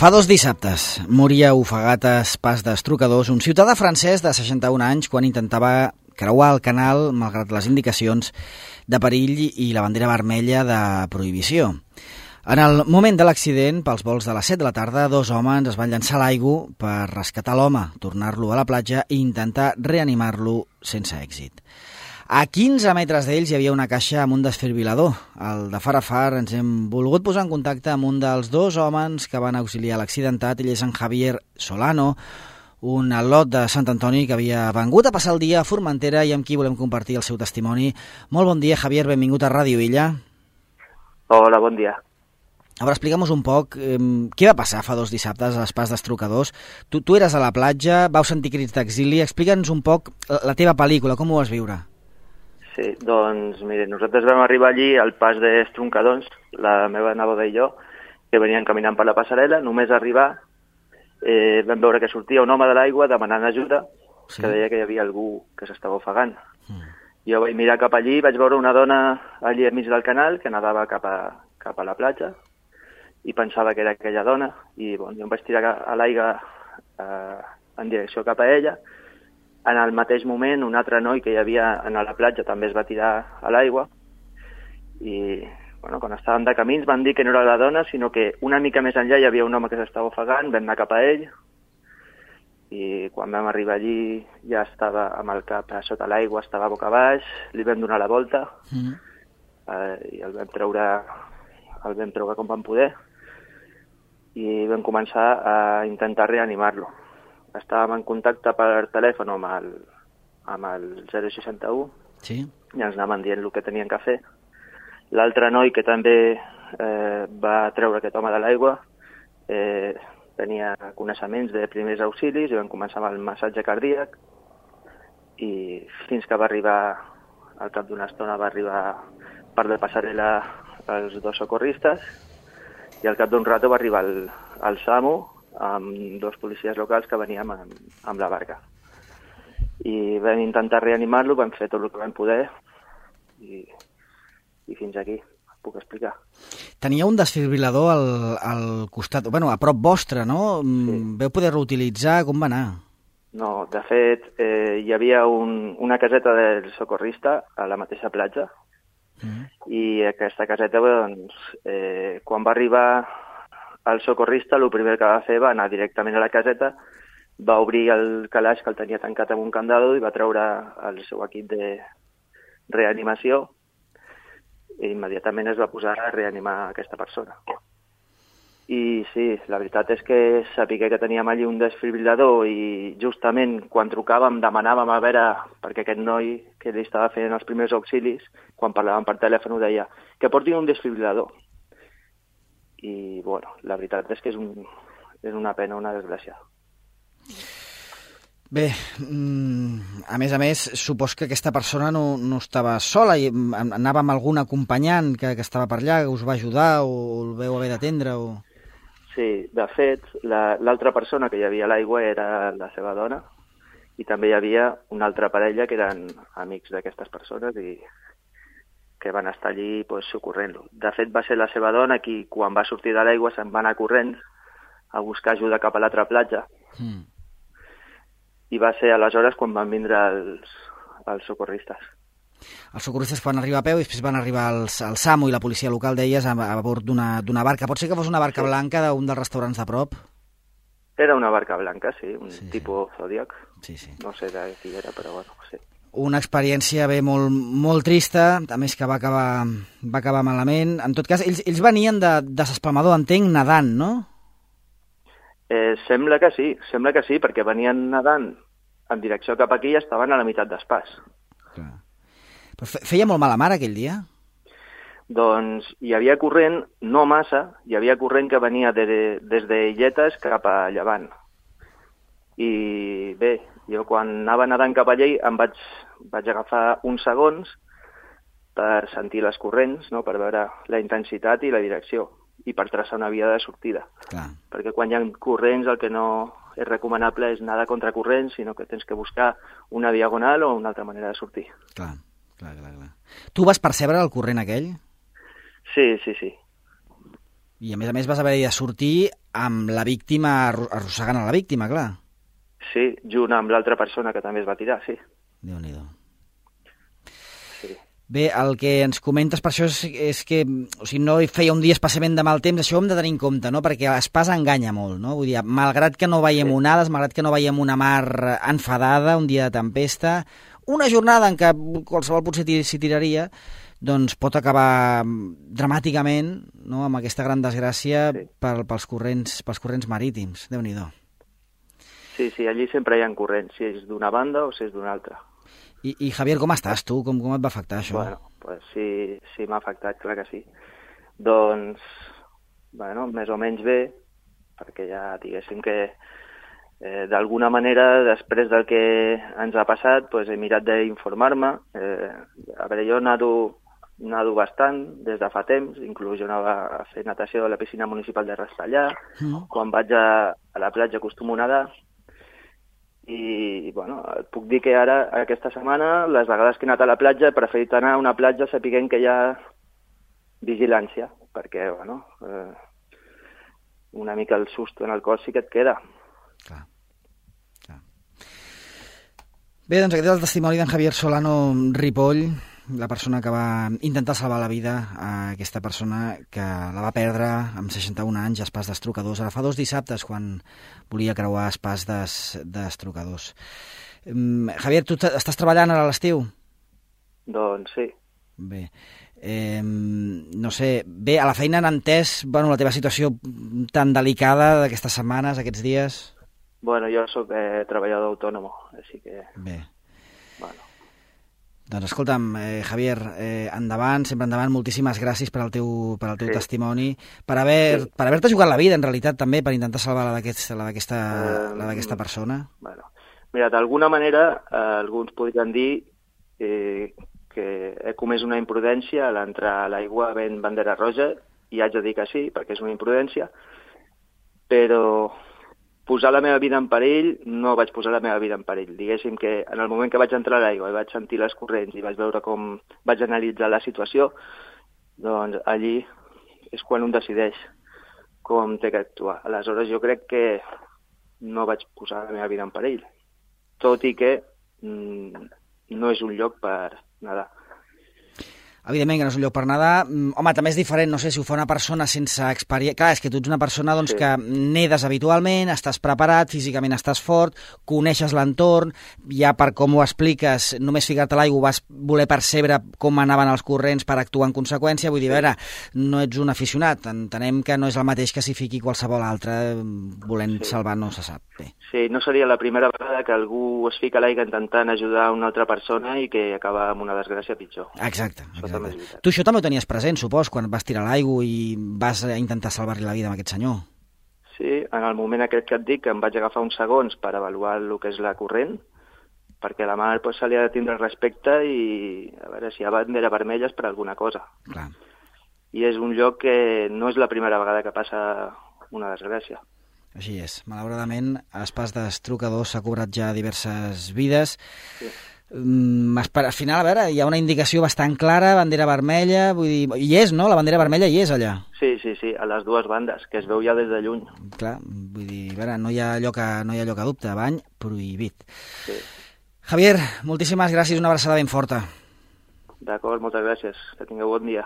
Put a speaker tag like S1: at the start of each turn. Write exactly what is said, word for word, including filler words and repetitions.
S1: Fa dos dissabtes moria ofegat a Pas d'Estrucadors un ciutadà francès de seixanta-un anys quan intentava creuar el canal malgrat les indicacions de perill i la bandera vermella de prohibició. En el moment de l'accident, pels vols de les set de la tarda, dos homes es van llançar a l'aigua per rescatar l'home, tornar-lo a la platja i intentar reanimar-lo sense èxit. A quinze metres d'ells hi havia una caixa amb un desfibrilador. Al de far a far ens hem volgut posar en contacte amb un dels dos homes que van auxiliar l'accidentat. Ell és en Javier Solano, un al·lot de Sant Antoni que havia vengut a passar el dia a Formentera i amb qui volem compartir el seu testimoni. Molt bon dia, Javier, benvingut a Ràdio Illa.
S2: Hola, bon dia.
S1: A veure, explica'm un poc, eh, què va passar fa dos dissabtes a Pas d'Estrucadors? Tu, tu eres a la platja, vau sentir crits d'exili, explica'ns un poc la teva pel·lícula, com ho vas viure?
S2: Sí, doncs, mire, nosaltres vam arribar allí al Pas d'Estrucadors, la meva neboda i jo, que veníem caminant per la passarel·la. Només arribar eh, vam veure que sortia un home de l'aigua demanant ajuda, sí, que deia que hi havia algú que s'estava ofegant. Mm. Jo vaig mirar cap allí, vaig veure una dona allí enmig del canal que nadava cap a, cap a la platja i pensava que era aquella dona i bon, jo em vaig tirar a l'aigua eh, en direcció cap a ella. En el mateix moment, un altre noi que hi havia a la platja també es va tirar a l'aigua i bueno, quan estàvem de camins van dir que no era la dona, sinó que una mica més enllà hi havia un home que s'estava ofegant, vam anar cap a ell i quan vam arribar allí ja estava amb el cap a sota l'aigua, estava boca baix, li vam donar la volta mm. eh, i el vam treure, el vam treure com vam poder i vam començar a intentar reanimar-lo. Estàvem en contacte per telèfon amb el, amb el zero seixanta-u, sí, i ens anaven dient el que tenien que fer. L'altre noi que també eh, va treure aquest home de l'aigua eh, tenia coneixements de primers auxilis i vam començar amb el massatge cardíac i fins que va arribar, al cap d'una estona va arribar per la passarel·la els dos socorristes i al cap d'un rato va arribar el, el SAMU amb dos policies locals que veníem amb, amb la barca. I vam intentar reanimar-lo, vam fer tot el que vam poder i, i fins aquí puc explicar.
S1: Tenia un desfibrilador al, al costat, bueno, a prop vostre, no? Sí. Veu poder reutilitzar, com va anar?
S2: No, de fet, eh, hi havia un, una caseta del socorrista a la mateixa platja mm. i aquesta caseta, doncs, eh, quan va arribar el socorrista, el primer que va fer va anar directament a la caseta, va obrir el calaix que el tenia tancat amb un candado i va treure el seu equip de reanimació i immediatament es va posar a reanimar aquesta persona. I sí, la veritat és que sabia que teníem allí un desfibrilador i justament quan trucàvem demanàvem a veure, perquè aquest noi que li estava fent els primers auxilis, quan parlàvem per telèfon ho deia, que portin un desfibrilador. I, bueno, la veritat és que és, un, és una pena, una desgràcia.
S1: Bé, a més a més, supos que aquesta persona no, no estava sola, i anava amb algun acompanyant que, que estava per allà, que us va ajudar o el veu haver d'atendre? O...
S2: Sí, de fet, l'altra la, persona que hi havia a l'aigua era la seva dona i també hi havia una altra parella que eren amics d'aquestes persones i que van estar allí pues, socorrent-lo. De fet, va ser la seva dona qui, quan va sortir de l'aigua, se'n va anar corrent a buscar ajuda cap a l'altra platja. Mm. I va ser aleshores quan van vindre els, els socorristes.
S1: Els socorristes van arribar a peu i després van arribar els, el SAMU i la policia local, deies, a, a bord d'una barca. Pot ser que fos una barca sí. blanca d'un dels restaurants de prop?
S2: Era una barca blanca, sí, un
S1: sí,
S2: tipus
S1: sí.
S2: Zodiac.
S1: Sí, sí.
S2: No sé de qui era, però bueno, sí.
S1: Una experiència bé molt, molt trista, a més que va acabar, va acabar malament. En tot cas, ells, ells venien de, de s'espalmador, entenc, nedant, no?
S2: Eh, sembla que sí, sembla que sí, perquè venien nedant en direcció cap aquí i estaven a la meitat d'Espàs.
S1: Clar. Però feia molt mala mar aquell dia?
S2: Doncs hi havia corrent, no massa, hi havia corrent que venia de, de, des d'Illetes cap a Llevant. I bé, jo quan anava nedant cap allà em vaig, vaig agafar uns segons per sentir les corrents, no? Per veure la intensitat i la direcció i per traçar una via de sortida. Clar. Perquè quan hi ha corrents el que no és recomanable és nedar contra corrents, sinó que tens que buscar una diagonal o una altra manera de sortir.
S1: Clar, clar, clar. clar. Tu vas percebre el corrent aquell?
S2: Sí, sí, sí.
S1: I a més a més vas haver de sortir amb la víctima, arrossegant a la víctima, clar.
S2: Sí, junt amb l'altra persona que també es va tirar, sí.
S1: Déu-n'hi-do.
S2: Sí.
S1: Bé, el que ens comentes per això és, és que o sigui, no feia un dia especialment de mal temps, això ho hem de tenir en compte, no? Perquè l'espasa enganya molt, no? Vull dir, malgrat que no veiem sí. onades, malgrat que no veiem una mar enfadada, un dia de tempesta, una jornada en què qualsevol potser s'hi tiraria, doncs pot acabar dramàticament, no?, amb aquesta gran desgràcia sí. per, pels, corrents, pels corrents marítims. Déu-n'hi-do.
S2: Sí, sí, allí sempre hi ha corrents, si és d'una banda o si és d'una altra.
S1: I, I Javier, com estàs tu? Com, com et va afectar això?
S2: Bueno, pues sí, sí m'ha afectat, clar que sí. Doncs, bueno, més o menys bé, perquè ja diguéssim que eh, d'alguna manera, després del que ens ha passat, pues he mirat d'informar-me. Eh, a veure, jo nado, nado bastant des de fa temps, inclús jo anava a fer natació a la piscina municipal de Rastellà, mm. quan vaig a, a la platja acostumo a nedar, i bueno, et puc dir que ara, aquesta setmana, les vegades que he anat a la platja, he preferit anar a una platja sapiguent que hi ha vigilància, perquè, bueno, eh, una mica el susto en el cos sí que et queda.
S1: Clar, clar. Bé, doncs aquest és el testimoni d'en Javier Solano Ripoll, la persona que va intentar salvar la vida a aquesta persona que la va perdre amb seixanta-un anys a Espàs d'Estrocadors. Ara fa dos dissabtes, quan volia creuar Espàs d'Estrocadors. Um, Javier, tu estàs treballant ara a l'estiu?
S2: Doncs sí.
S1: Bé. Eh, no sé, bé, a la feina han entès, bueno, la teva situació tan delicada d'aquestes setmanes, aquests dies?
S2: Bueno, jo sóc eh, treballador autònom, així que...
S1: Bé.
S2: Bueno.
S1: Doncs escolta'm, eh, Javier, eh, endavant, sempre endavant, moltíssimes gràcies per al teu, per al teu sí. testimoni, per haver, sí. per haver-te jugat la vida, en realitat, també, per intentar salvar la d'aquesta eh, persona.
S2: Bueno, mira, d'alguna manera, eh, alguns podrien dir eh, que he comès una imprudència a l'entrar a l'aigua ben bandera roja, i haig de dir que sí, perquè és una imprudència, però posar la meva vida en perill, no vaig posar la meva vida en perill. Diguéssim que en el moment que vaig entrar a l'aigua i vaig sentir les corrents i vaig veure com vaig analitzar la situació, doncs allí és quan un decideix com té que actuar. Aleshores jo crec que no vaig posar la meva vida en perill, tot i que mm, no és un lloc per nedar.
S1: Evidentment que no és un lloc per nedar. Home, també és diferent, no sé, si ho fa una persona sense experiència... Clar, és que tu ets una persona doncs, sí. que nedes habitualment, estàs preparat, físicament estàs fort, coneixes l'entorn, ja per com ho expliques, només ficar-te a l'aigua vas voler percebre com anaven els corrents per actuar en conseqüència. Vull dir, a veure, no ets un aficionat, entenem que no és el mateix que si fiqui qualsevol altre volent sí. salvar, no se sap bé.
S2: Sí, no seria la primera vegada que algú es fica a l'aigua intentant ajudar una altra persona i que acaba amb una desgràcia pitjor.
S1: Exacte. exacte. Tu això també ho tenies present, supos, quan vas tirar a l'aigua i vas intentar salvar-li la vida a aquest senyor.
S2: Sí, en el moment aquest que et dic, em vaig agafar uns segons per avaluar el que és la corrent, perquè la mar pues, se li ha de tindre respecte i a veure si hi ha bandera vermella és per alguna cosa.
S1: Clar.
S2: I és un lloc que no és la primera vegada que passa una desgràcia.
S1: Així és. Malauradament, a Espàs d'Estrocadors s'ha cobrat ja diverses vides. Sí. Mm, al final, a veure, hi ha una indicació bastant clara, bandera vermella, vull dir, hi és, no? La bandera vermella hi és allà.
S2: Sí, sí, sí, a les dues bandes, que es veu ja des de lluny.
S1: Clar, vull dir, a veure, no hi ha lloc a, no hi ha lloc a dubte, bany prohibit.
S2: Sí.
S1: Javier, moltíssimes gràcies, una abraçada ben forta.
S2: D'acord, moltes gràcies, que tingueu bon dia.